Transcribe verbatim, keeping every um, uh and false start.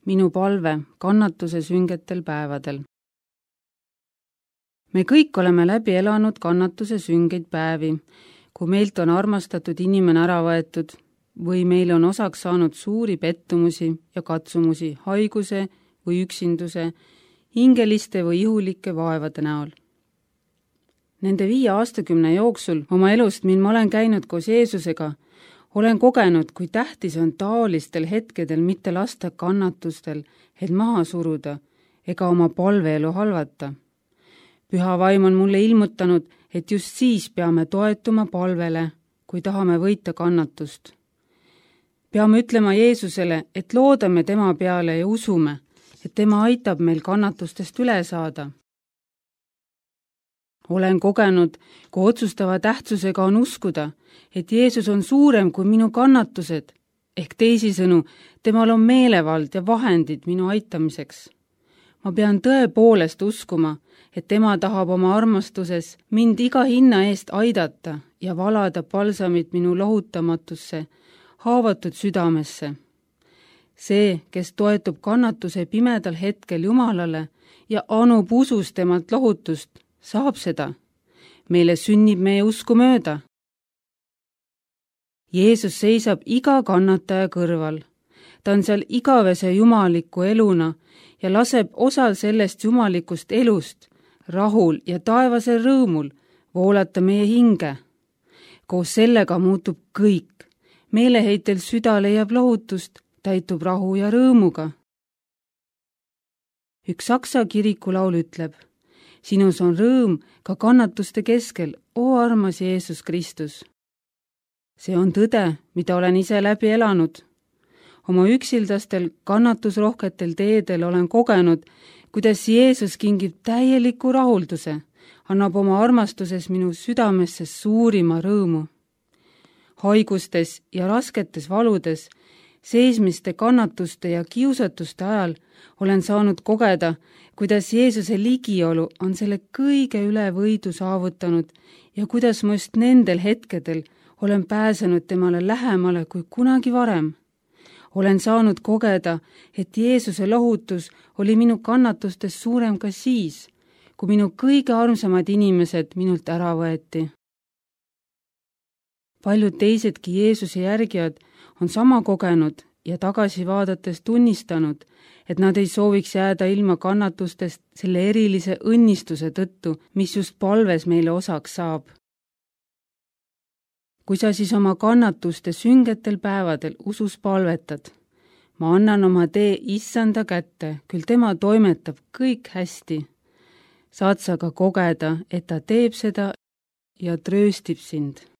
minu palve kannatuse süngetel päevadel. Me kõik oleme läbi elanud kannatuse süngeid päevi, kui meilt on armastatud inimene ära võetud või meil on osaks saanud suuri pettumusi ja katsumusi haiguse või üksinduse, hingeliste või ihulike vaevade näol. Nende viie aastakümne jooksul oma elust, mil ma olen käinud koos Jeesusega, olen kogenud, kui tähtis on taolistel hetkedel mitte lasta kannatustel, et maha suruda ega oma palveelu halvata. Püha vaim on mulle ilmutanud, et just siis peame toetuma palvele, kui tahame võita kannatust. Peame ütlema Jeesusele, et loodame tema peale ja usume, et tema aitab meil kannatustest üle saada. Olen kogenud, kui otsustava tähtsusega on uskuda, et Jeesus on suurem kui minu kannatused, ehk teisisõnu, temal on meelevald ja vahendid minu aitamiseks. Ma pean tõepoolest uskuma, et tema tahab oma armastuses mind iga hinna eest aidata ja valada palsamit minu lohutamatusse, haavatud südamesse. See, kes toetub kannatuse pimedal hetkel Jumalale ja anub usus temalt lohutust, saab seda. Meile sünnib meie usku mööda. Jeesus seisab iga kannataja kõrval. Ta on seal igavese jumaliku eluna ja laseb osal sellest jumalikust elust, rahul ja taevasel rõõmul voolata meie hinge. Koos sellega muutub kõik. Meeleheitel süda leiab lohutust, täitub rahu ja rõõmuga. Üks saksa kirikulaul ütleb, sinus on rõõm ka kannatuste keskel, oo armas Jeesus Kristus. See on tõde, mida olen ise läbi elanud. Oma üksildastel kannatusrohketel teedel olen kogenud, kuidas Jeesus kingib täieliku rahulduse, annab oma armastuses minu südamesse suurima rõõmu. Haigustes ja rasketes valudes, seesmiste kannatuste ja kiusatuste ajal olen saanud kogeda, kuidas Jeesuse ligiolu on selle kõige üle võidu saavutanud ja kuidas ma just nendel hetkedel olen pääsenud temale lähemale kui kunagi varem. Olen saanud kogeda, et Jeesuse lohutus oli minu kannatustes suurem ka siis, kui minu kõige armsamad inimesed minult ära võeti. Paljud teisedki Jeesuse järgijad on sama kogenud ja tagasi vaadates tunnistanud, et nad ei sooviks jääda ilma kannatustest selle erilise õnnistuse tõttu, mis just palves meile osaks saab. Kui sa siis oma kannatuste süngetel päevadel usus palvetad, ma annan oma tee Issanda kätte, küll tema toimetab kõik hästi. Saad sa ka kogeda, et ta teeb seda ja trööstib sind.